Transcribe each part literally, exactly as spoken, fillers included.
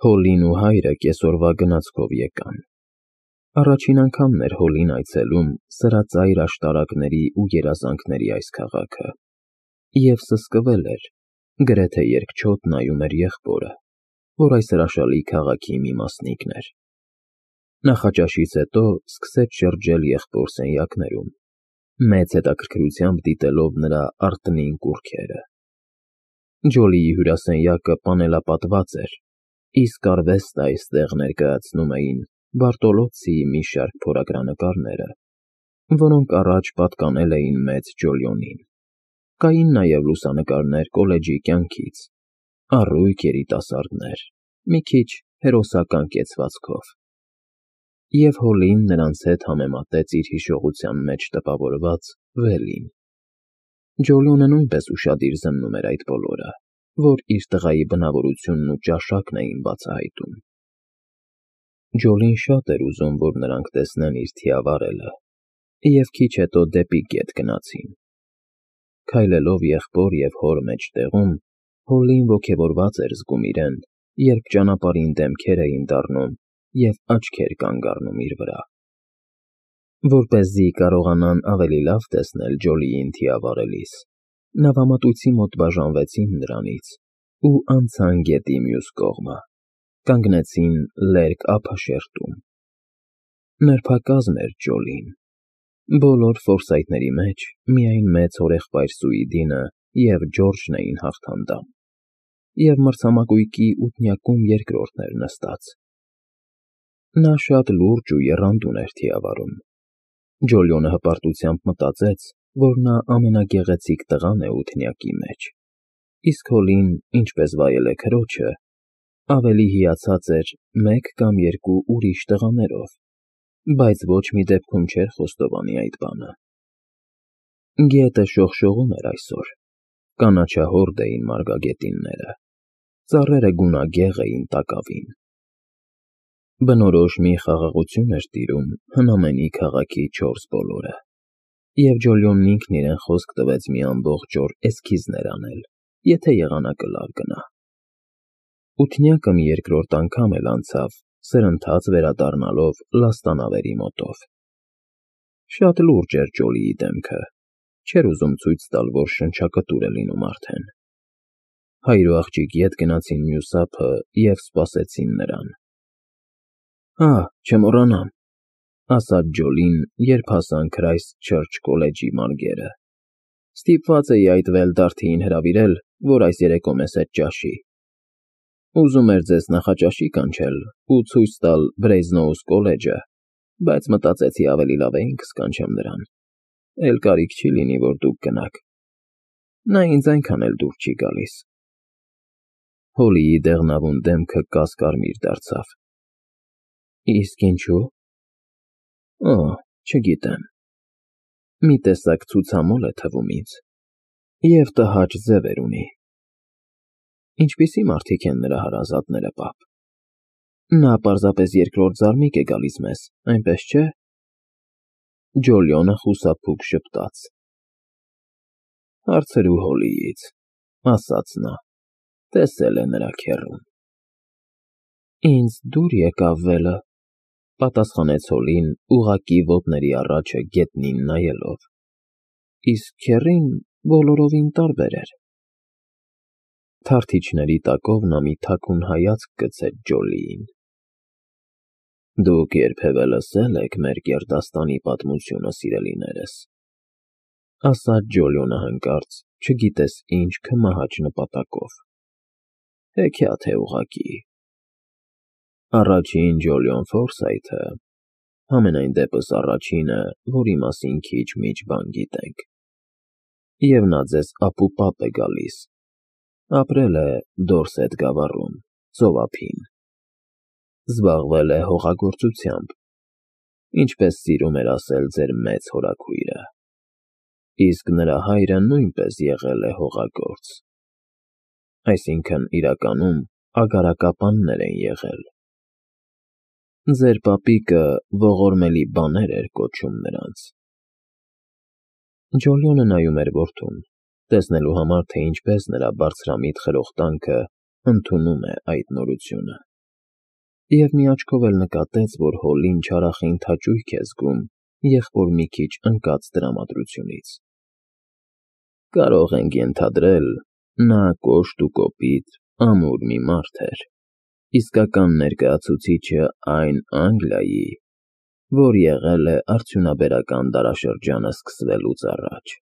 Հոլին ու հայրը կեսօրվա գնացքով եկան։ Առաջին անգամն էր Հոլին այցելում սրածայր աշտարակների ու երազանքների այս քաղաքը, և սսկվել էր, գրեթե երկչոտ նայում էր եղբորը, որ այս հրաշալի քաղաքի մի մասնիկն էր։ Նախաճաշից հետո սկսեց շրջել եղբոր սենյակներում, մեծ հետաքրքրությամբ դիտելով նրա արտնին կուռքերը։ Ջոլիի հյուրասենյակը պանելապատված էր, իսկ արվեստը այստեղ ներկայացնում էին Բարտոլոցցիի մի շարք փորագրանկարները, որոնք առաջ պատկանել էին մեծ Ջոլիոնին։ Կային նաև լուսանկարներ կոլեջի կյանքից, առույգ երիտասարդներ, մի քիչ հերոսական կեցվածքով։ Եվ Հոլին նրանց հետ համեմատեց իր հիշողության մեջ տպավորված Վելին։ Ջոլիոնը նույնպես ուշադիր զննում էր այդ բոլորը, որ իր տղայի բնավորությունն ու ճաշակն էին բացահայտում։ Ջոլին շատ էր ուզում, որ նրանք տեսնեն իր թիավարելը, և քիչ հետո դեպի գետ գնացին։ Քայլելով եղբոր և հոր մեջտեղում, Հոլին ոգևորված էր զգում իրեն, երբ ճանապարհին դեմքեր էին դառնում և աչքեր կանգ առնում իր վրա։ Որպեսզի կարողանան ավելի լավ տեսնել Ջոլիին թիավարելիս, նավամատույցի մոտ բաժանվեցին նրանից ու անցան գետի մյուս կողմը, կանգնեցին լերկ ափաշերտում։ Նրբակազմ էր Ջոլին։ Բոլոր ֆորսայթների մեջ միայն մեծ հորեղբայր Սուիդինը և Ջորջն էին հաղթանդամ, և մրցամագույկի ութնյակում երկրորդն էր նստած։ Նա շատ լուրջ ու եռանդուն էր թիավարում։ Ջոլիոնը հպարտությամբ մտածեց, որ նա ամենագեղեցիկ տղան է ութնյակի մեջ, իսկ Հոլին, ինչպես վայել է քրոջը, ավելի հիացած էր մեկ կամ երկու ուրիշ տղաներով, բայց ոչ մի դեպքում չէր խոստովանի այդ բանը։ Գետը շողշողում էր այսօր, կանաչահորդ էին մարգագետինները, ծառերը գունագեղ էին տակավին։ Բնորոշ մի խաղաղություն էր տիրում հնամենի քաղաքի չորս բոլորը, և Ջոլիոնն ինքն իրեն խոսք տվեց մի ամբողջ օր էսքիզներ անել, եթե եղանակը լավ գնա։ Ութնյակը մի երկրորդ անգամ էլ անցավ, սրընթաց վերադառնալով լաստանավերի մոտով։ Շատ լուրջ էր Ջոլիի դեմքը, չէր ուզում ցույց տալ, որ շնչակտուր է լինում արդեն։ Հայր ու աղջիկ ետ գնացին մյուս ափը և սպասեցին նրան։ «Հա, չմոռանամ», ասաց Ջոլին, երբ հասան Քրայսթ Չըրչ կոլեջի մարգերը։ «Ստիպված էի այդ Վեյլդարթիին հրավիրել, որ այս երեկո մեզ հետ ճաշի։ Ուզում էր ձեզ նախաճաշի կանչել ու ցույց տալ Բրեյզնոուս կոլեջը, բայց մտածեցի ավելի լավ է ինքս կանչեմ նրան, էլ կարիք չի լինի, որ դուք գնաք։ Նա ինձ այնքան էլ դուր չի գալիս»։ Հոլիի դեղնավուն դեմքը կաս֊կարմիր դարձավ։ «Իսկ ինչու՞։ Օ, չգիտեմ։ Մի տեսակ ցուցամոլ է թվում ինձ, և տհաճ ձևեր ունի։ Ինչպիսի՞ մարդիկ են նրա հարազատները, պապ։ Նա պարզապես երկրորդ զարմիկ է գալիս մեզ, այնպես չէ՞։ Ջոլիոնը խուսափուկ ժպտաց։ Հարցրու Հոլիից, ասաց նա, տեսել է նրա քեռուն։ Ինձ դուր եկավ Վելը, պատասխանեց Հոլին, ուղղակի ոտների առաջը գետնին նայելով, իսկ քեռին բոլորովին տարբեր էր։ Թարթիչների տակով նա մի թաքուն հայացք գցեց Ջոլիին։ Դուք երբևէ լսե՞լ եք մեր գերդաստանի պատմությունը, սիրելիներս, ասաց Ջոլիոնը հանկարծ, չգիտես ինչ քմահաճ նպատակով։ Հեքիաթ է ուղղակի։ Առաջին Ջոլիոն Ֆորսայթը, համենայն դեպս առաջինը, որի մասին քիչ-միչ բան գիտենք, և նա ձեզ ապուպապ է գալիս, ապրել է Դորսեթ գավառում, ծով ափին, զբաղվել է հողագործությամբ, ինչպես սիրում էր ասել ձեր մեծ հորաքույրը, իսկ նրա հայրը նույնպես եղել է հողագործ, այսինքն՝ իրականում ագարակապաններ են եղել։ Ձեր պապիկը ողորմելի բաներ էր կոչում նրանց։ Ջոլիոնը նայում էր որդուն, տեսնելու համար, թե ինչպես նրա բարձրամիտ խրոխտանքը ընդունում է այդ նորությունը։ Եվ մի աչքով էլ նկատեց, որ Հոլլին չարախին թաճույք է զգում եղբոր մի քիչ ընկած տրամադրությունից։ Կարող ենք ենթադրել, նա կոշտ ու կոպիտ, ամուր մի մարդ էր, իսկական ներկայացուցիչը այն Անգլիայի, որ եղել է արդյունաբերական դարաշրջանը սկսվելուց առաջ։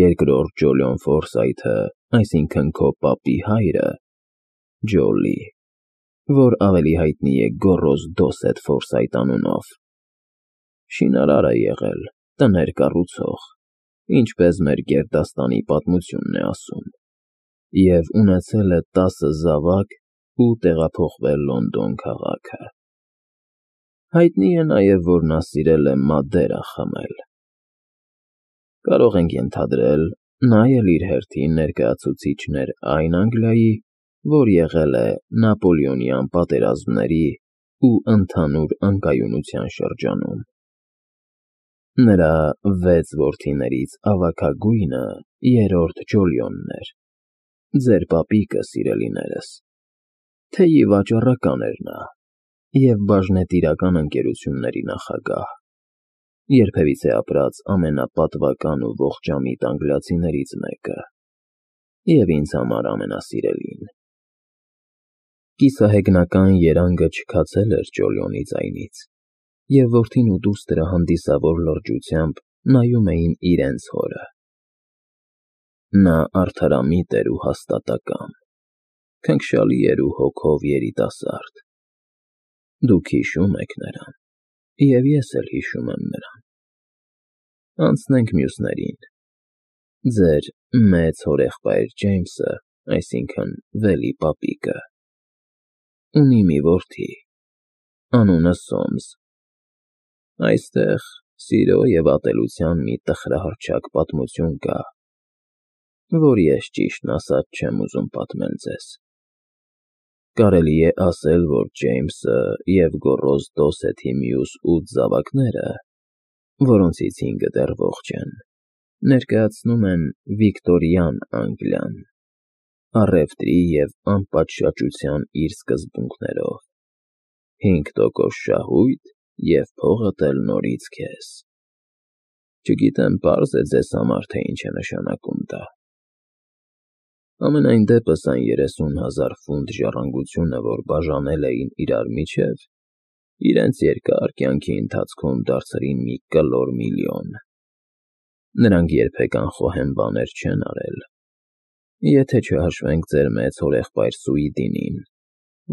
Երկրորդ Ջոլիոն Ֆորսայթը, այսինքն քո պապի հայրը, Ջոլի, որ ավելի հայտնի է Գոռոզ Դոսեթ Ֆորսայթ անունով, շինարար է եղել, տներ կառուցող, ինչպես մեր գերդաստանի պատմությունն է ասում, և ունեցել է տասը զավակ ու տեղափոխվել Լոնդոն քաղաքը։ Հայտնի է նաև, որ նա սիրել է մադերա խմել։ Կարող ենք ենթադրել, նա էլ իր հերթին ներկայացուցիչն էր այն Անգլիայի, որ եղել է Նապոլեոնյան պատերազմների ու ընդհանուր անկայունության շրջանում։ Նրա վեց որդիներից ավագագույնը երրորդ Ջոլիոնն էր, ձեր պապիկը, սիրելիներս, թեև վաճառական էր նա և բաժնետիրական ընկերությունների նախագահ, երբևիցե ապրած ամենապատվական ու ողջամիտ անգլիացիներից մեկը, և ինձ համար ամենասիրելին։ Կիսահեգնական երանգը չքացել էր Ջոլիոնի ձայնից, և որդին ու դուստրը հանդիսավոր լրջությամբ նայում էին իրենց հորը։ Նա արդարամիտ էր ու հաստատակամ, քնքշալի էր ու հոգով երիտասարդ։ Դուք հիշում եք նրան, և ես էլ հիշում եմ նրան։ Անցնենք մյուսներին։ Ձեր մեծ հորեղբայր Ջեյմսը, այսինքն Վելի պապիկը, ունի մի որդի, անունը Սոմս։ Այստեղ սիրո և ատելության մի տխրահռչակ պատմություն կա, որ ես ճիշտն ասած չեմ ուզում պատմել ձեզ։ Կարելի է ասել, որ Ջեյմսը և Գոռոզ Դոսեթի մյուս ութ զավակները, որոնցից հինգը դեռ ողջ են, ներկայացնում են վիկտորյան Անգլիան, առևտրի և անպատշաճության իր սկզբունքներով, հինգ տոկոս շահույթ և փողդ էլ նորից քեզ։ Չգիտեմ պարզ է ձեզ համար, թե ինչ է նշանակում դա։ Համենայն դեպս այն երեսուն հազար ֆունտ ժառանգությունը, որ բաժանել էին իրար միջև, իրենց երկար կյանքի ընթացքում դարձրին մի կլոր միլիոն։ Նրանք երբեք անխոհեմ բաներ չեն արել, եթե չհաշվենք ձեր մեծ հորեղբայր Սուիդինին,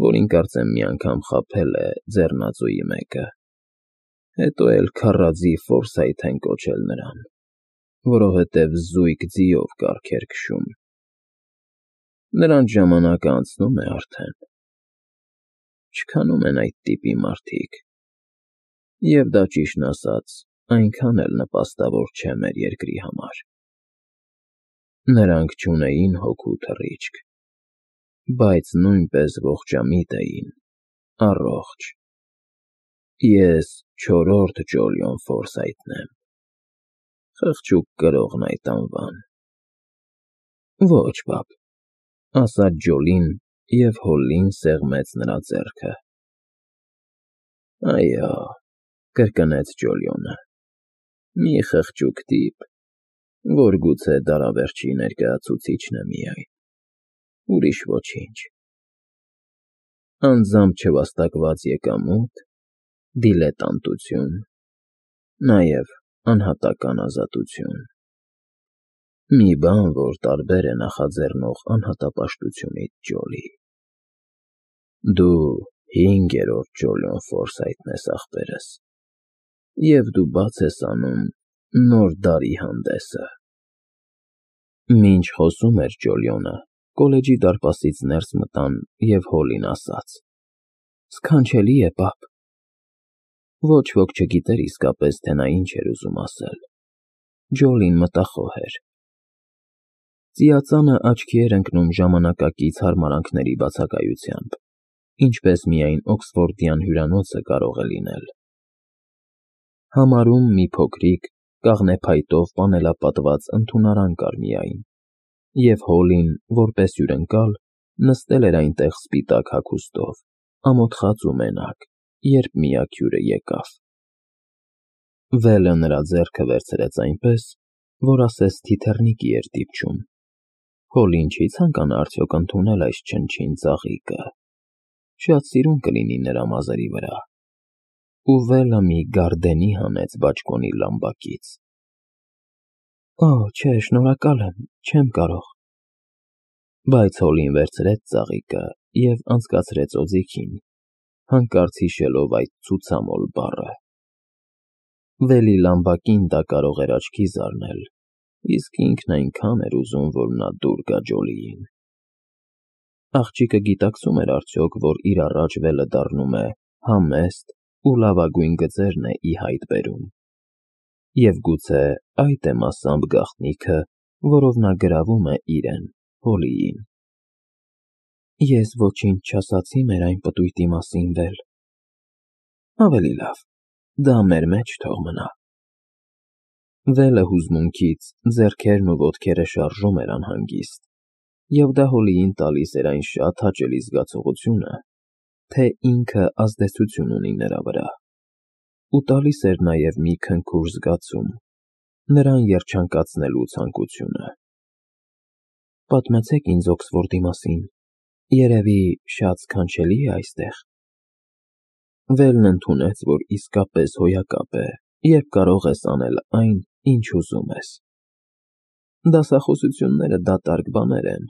որին կարծեմ մի անգամ խաբել է ձեռնածուի մեկը, հետո էլ քառաձի Ֆորսայթ են կոչել նրան, որովհետև զույգ ձիով կառք էր քշում։ Նրանց ժամանակը անցնում է արդեն։ Չքանում են այդ տիպի մարդիկ, և դա, ճիշտն ասած, այնքան էլ նպաստավոր չէ մեր երկրի համար։ Նրանք չունեին հոգու թռիչք, բայց նույնպես ողջամիտ էին, առողջ։ Ես չորրորդ Ջոլիոն Ֆորսայթն եմ, խղճուկ կրողն այդ անվան։ Ոչ, պապ, ասաց Ջոլին, և Հոլլին սեղմեց նրա ձեռքը։ Այո, կրկնեց Ջոլիոնը, մի խղճուկ տիպ, որ գուցե դարավերջի ներկայացուցիչն է միայն, ուրիշ ոչինչ։ Անձամբ չվաստակված եկամուտ, դիլետանտություն, նաև անհատական ազատություն։ Մի բան, որ տարբեր է նախաձեռնող անհատապաշտությունից, Ջոլի։ Դու հինգերորդ Ջոլիոն Ֆորսայթն ես, ախպերս, և դու բաց ես անում նոր դարի հանդեսը։ Մինչ խոսում էր Ջոլիոնը, կոլեջի դարպասից ներս մտան, և Հոլլին ասաց. Սքանչելի է, պապ։ Ոչ ոք չգիտեր իսկապես, թե նա ինչ էր ուզում ասել։ Ջոլին մտախոհ էր։ Ծիածանը աչքի էր ընկնում ժամանակակից հարմարանքների բացակայությամբ, ինչպես միայն օքսֆորդյան հյուրանոցը կարող է լինել։ Համարում մի փոքրիկ, կաղնեփայտով պանելապատված ընդունարան կար միայն, և Հոլլին, որպես հյուրընկալ, նստել էր այնտեղ սպիտակ հագուստով, ամոթխած ու մենակ, երբ միակ հյուրը եկավ։ Վելը նրա ձեռքը վերցրեց այնպես, որ ասես թիթեռնիկի էր դիպչում։ Հոլին չի ցանկանա արդյոք ընդունել այս չնչին ծաղիկը։ Շատ սիրուն կլինի նրա մազերի վրա։ Ու Վելը մի գարդենի հանեց բաճկոնի լամբակից։ Օ, չէ, շնորհակալ եմ, չեմ կարող։ Բայց Հոլին վերցրեց ծաղիկը և անցկացրեց օձիքին, հանկարծ հիշելով այդ ցուցամոլ բառը։ Վելի լամբակին դա կարող էր աչքի զարնել, իսկ ինքն այնքան էր ուզում, որ նա դուր գա Ջոլիին։ Աղջիկը գիտակցում էր արդյոք, որ իր առաջ Վելը դառնում է համեստ ու լավագույն գծերն է ի հայտ բերում։ Եվ գուցե այդ է մասամբ գաղտնիքը, որով նա գրավում է իրեն, Հոլիին։ Ես ոչինչ չասացի մեր այն պտույտի մասին, Վել։ Ավելի լավ, դա մեր մեջ թող մնա։ Վելը հուզմունքից ձեռքերն ու ոտքերը շարժում էր անհանգիստ, և դա Հոլիին տալիս էր այն շատ հաճելի զգացողությունը, թե ինքը ազդեցություն ունի նրա վրա, ու տալիս էր նաև մի քնքուշ զգացում, նրան երջանկացնելու ցանկությունը։ Պատմեցեք ինձ Օքսֆորդի մասին, երևի շատ սքանչելի է այստեղ։ Վելն ընդունեց, որ իսկապես հոյակապ է, երբ կարող ես անել այն, ինչ ուզում ես։ Դասախոսությունները դատարկ բաներ են,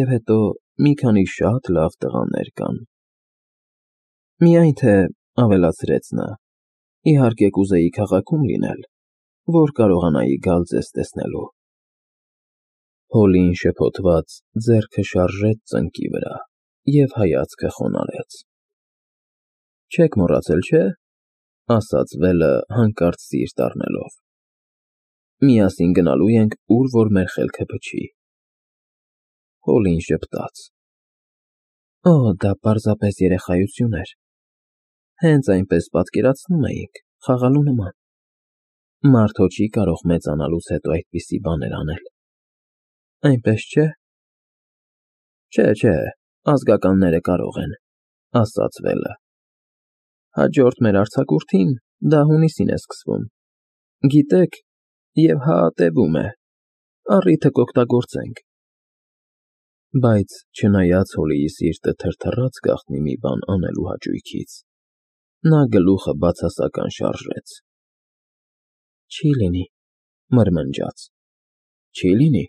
և հետո մի քանի շատ լավ տղաներ կան։ Միայն թե, ավելացրեց նա, իհարկե կուզեի քաղաքում լինել, որ կարողանայի գալ ձեզ տեսնելու։ Հոլին շփոթված ձեռքը շարժեց ծնկի վրա և հայացքը խոնարհեց։ Չեք մոռացել, չէ՞, ասաց Վելը հանկարծ սիրտ առնելով։ Միասին գնալու ենք, ուր որ մեր խելքը փչի։ Հոլին ժպտաց. Օ, դա պարզապես երեխայություն էր։ Հենց այնպես պատկերացնում էինք, խաղալու նման։ Մարդ հո չի կարող մեծանալուց հետո այդպիսի բաներ անել։ Այնպես չէ՞։ Չէ, չէ, ազգականները կարող են, ասաց Վելը։ Հաջորդ մեր արձակուրդին դա հունիսին է սկսվում։ Գիտեք, և հա տևում է, առիթը կօգտագործենք։ Բայց չնայած Հոլիի սիրտը թրթռաց գաղտնի մի բան անելու հաճույքից, նա գլուխը բացասական շարժեց։ Չի լինի, մրմնջաց։ Չի լինի,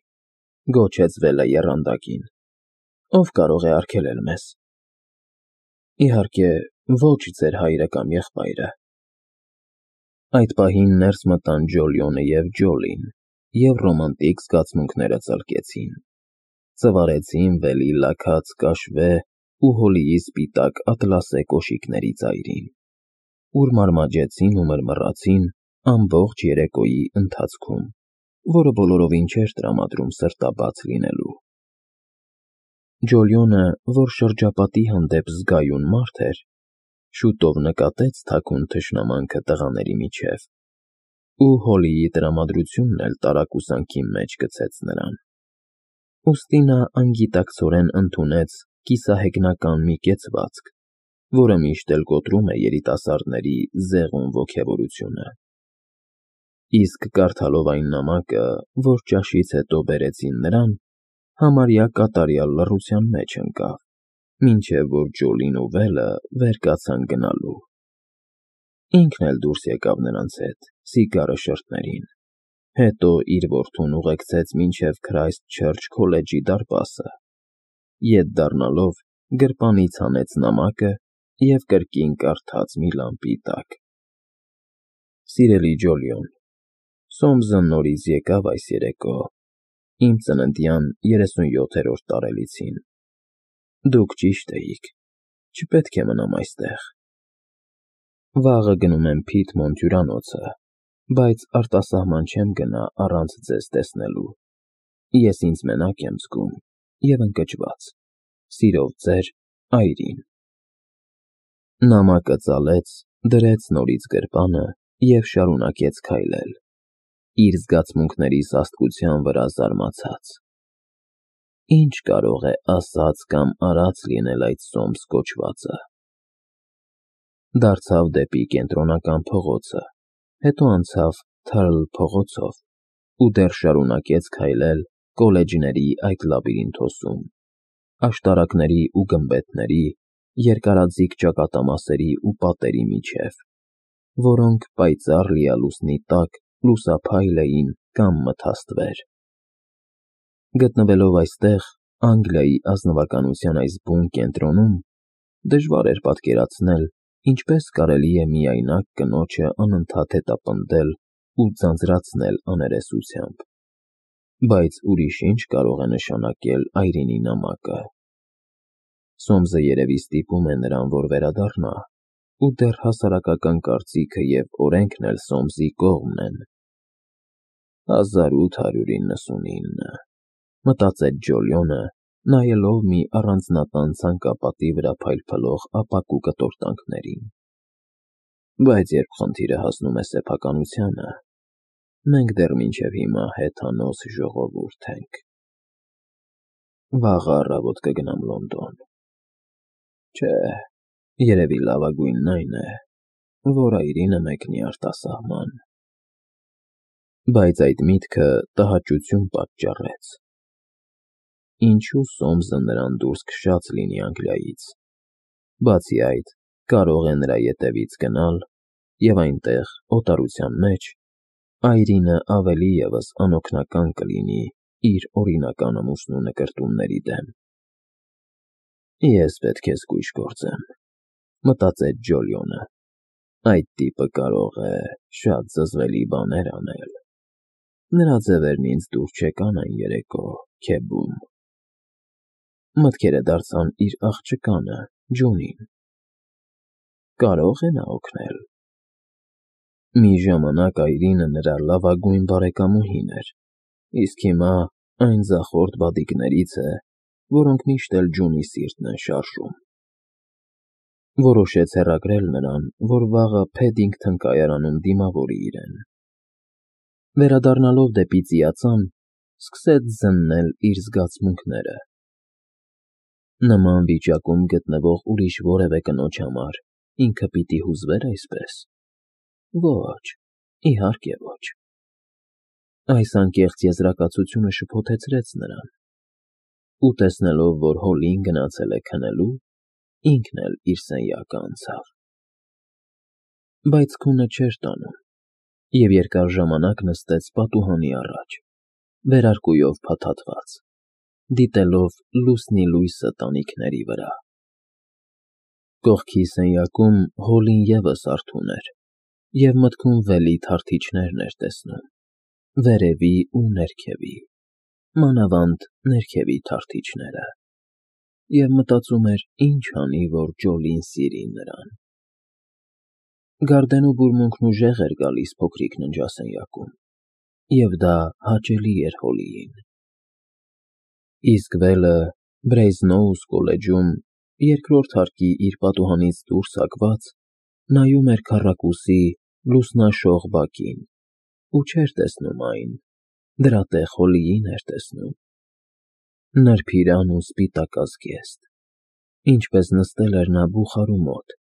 գոչեց Վելը եռանդակին։ Ով կարող է արգելել մեզ։ Իհարկե, ոչ ձեր հայրը կամ եղբայրը։ Այդ պահին ներս մտան Ջոլիոնը և Ջոլին, և ռոմանտիկ զգացմունքները ծլկեցին, ծվարեցին Վելի լաքած կաշվե ու Հոլիի սպիտակ ատլասե կոշիկների ծայրին, ուր մարմաջեցին ու մռմռացին ամբողջ երեկոյի ընթացքում, որը բոլորովին չէր տրամադրում սրտաբաց լինելու։ Ջոլիոնը, որ շրջապատի հանդեպ զգայուն մարդ էր, շուտով նկատեց թաքուն թշնամանքը տղաների միջև, ու Հոլիի տրամադրությունն էլ տարակուսանքի մեջ գցեց նրան։ Ուստի նա անգիտակցորեն ընդունեց կիսահեգնական մի կեցվածք, որը միշտ էլ կոտրում է երիտասարդների զեղում ոգևորությունը։ Իսկ կարդալով այն նամակը, որ ճաշից հետո բերեցին նրան, համարյա կատարյալ լռության մեջ ընկավ, մինչև որ Ջոլին ու Վելը վեր կացան գնալու։ Ինքն էլ դուրս եկավ նրանց հետ սիգարը շրթներին, հետո իր որդուն ուղեկցեց մինչև Քրայսթ Չըրչ Քոլեջի դարպասը, ետ դառնալով գրպանից հանեց նամակը և կրկին կարդաց մի լամպի տակ. Սիրելի Ջոլիոն, Սոմսը նորից եկավ այս երեկո, իմ ծննդյան երեսունյոթերորդ տարելիցին։ Դուք ճիշտ էիք, չպետք է մնամ այստեղ։ Վաղը գնում եմ Փիթմոնթ հյուրանոցը, բայց արտասահման չեմ գնա առանց ձեզ տեսնելու։ Ես ինձ մենակ եմ զգում և ընկճված։ Սիրով ձեր Այրին։ Նամակը ծալեց, դրեց նորից գրպանը և շարունակեց քայլել, իր զգացմունքների սաստկության վրա զարմացած։ Ինչ կարող է ասած կամ արած լինել այդ Սոմս կոչվածը։ Դարձավ դեպի կենտրոնական փողոցը, հետո անցավ Թարլ փողոցով ու դեռ շարունակեց քայլել կոլեջների այդ լաբիրինթոսում, աշտարակների ու գմբեթների, երկարաձիգ ճակատամասերի ու պատերի միջև, որոնք պայծառ լիալուսնի տակ լուսափայլ էին կամ մթաստվեր։ Գտնվելով այստեղ, Անգլիայի ազնվականության այս բուն կենտրոնում, դժվար էր պատկերացնել, ինչպես կարելի է միայնակ կնոջը անընդհատ հետապնդել ու ձանձրացնել աներեսությամբ, բայց ուրիշ ինչ կարող է նշանակել այրենի նամակը։ Սոմսը երևի ստիպում է նրան, որ վերադառնա, ու դեռ հասարակական կարծիքը և օրենքն էլ Սոմսի կողմն են։ հազար ութ հարյուր իննսունինը, մտածեց Ջոլիոնը, նայելով մի առանձնատան ցանկապատի վրա փայլփլող ապակու կտորտանքներին։ Բայց երբ խնդիրը հասնում է սեփականությանը, մենք դեռ մինչև հիմա հեթանոս ժողովուրդ ենք։ Վաղը առավոտ կգնամ Լոնդոն։ Չէ, երևի լավագույնն այն է, որ այրինը մեկնի արտասահման։ Բայց այդ միտքը տհաճություն պատճառեց։ Ինչու Սոմսը նրան դուրս քշած լինի Անգլիայից։ Բացի այդ, կարող է նրա ետևից գնալ և այնտեղ, օտարության մեջ, այրինը ավելի ևս անօգնական կլինի իր օրինական ամուսնու նկրտումների դեմ։ Ես պետք է զգույշ գործեմ, մտածեց Ջոլիոնը, այդ տիպը կարող է շատ զզվելի բաներ անել։ Նրա ձևերն ինձ դուր չեկան այն երեկո Քեբում։ Մտքերը դարձան իր աղջկանը՝ Ջոնին։ Կարո՞ղ է նա օգնել։ Մի ժամանակ այրինը նրա լավագույն բարեկամուհին էր, իսկ հիմա այն ձախորդ բադիկներից է, որոնք միշտ էլ Ջոնի սիրտն են շարժում։ Որոշեց հեռագրել նրան, որ վաղը Փեդինգթոն կայարանում դիմավորի իրեն։ Վերադառնալով դեպի ծիածան, սկսեց զննել իր զգացմունքները։ Նման վիճակում գտնվող ուրիշ որևէ կնոջ համար ինքը պիտի հուզվե՞ր այսպես։ Ոչ, իհարկե ոչ։ Այս անկեղծ եզրակացությունը շփոթեցրեց նրան, ու տեսնելով, որ Հոլին գնացել է քնելու, ինքն էլ իր սենյակը անցավ։ Բայց քունը չէր տանում, և երկար ժամանակ նստեց պատուհանի առաջ, վերարկուով փաթաթված, դիտելով լուսնի լույսը տանիքների վրա։ Կողքի սենյակում Հոլին ևս արթուն էր և մտքում վելի թարթիչներն էր տեսնում, վերևի ու ներքևի, մանավանդ ներքևի թարթիչները, և մտածում էր, ինչ անի, որ Ջոլին սիրի նրան։ Գարդենու բուրմունքն ուժեղ էր գալիս փոքրիկ ննջասենյակում, և դա հաճելի էր Հոլիին։ Իսկ վելը Բրեյզնոուս կոլեջում, երկրորդ հարկի իր պատուհանից դուրս հակված, նայում էր քառակուսի լուսնաշող բակին ու չէր տեսնում այն, դրա տեղ Հոլիին էր տեսնում։ Նրբիրան ու սպիտակազգեստ, ինչպես նստել էր նա բուխարու մոտ,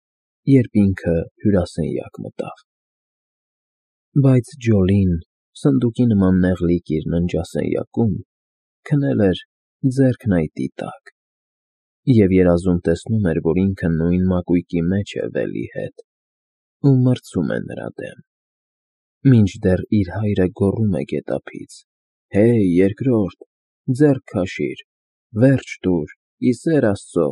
երբ ինքը հյուրասենյակ մտավ։ Բայց Ջոլին, սնդուկի նման նեղլիկ իր ննջասենյակում, քնել էր ձեռքն այտի տակ, և երազում տեսնում էր, որ ինքը նույն մակույկի մեջ է վելի հետ ու մրցում է նրա դեմ, մինչդեռ իր հայրը գոռում է գետափից. «Հեյ, երկրորդ, ձեռք քաշիր, վերջ տուր, ի սեր Աստծո»։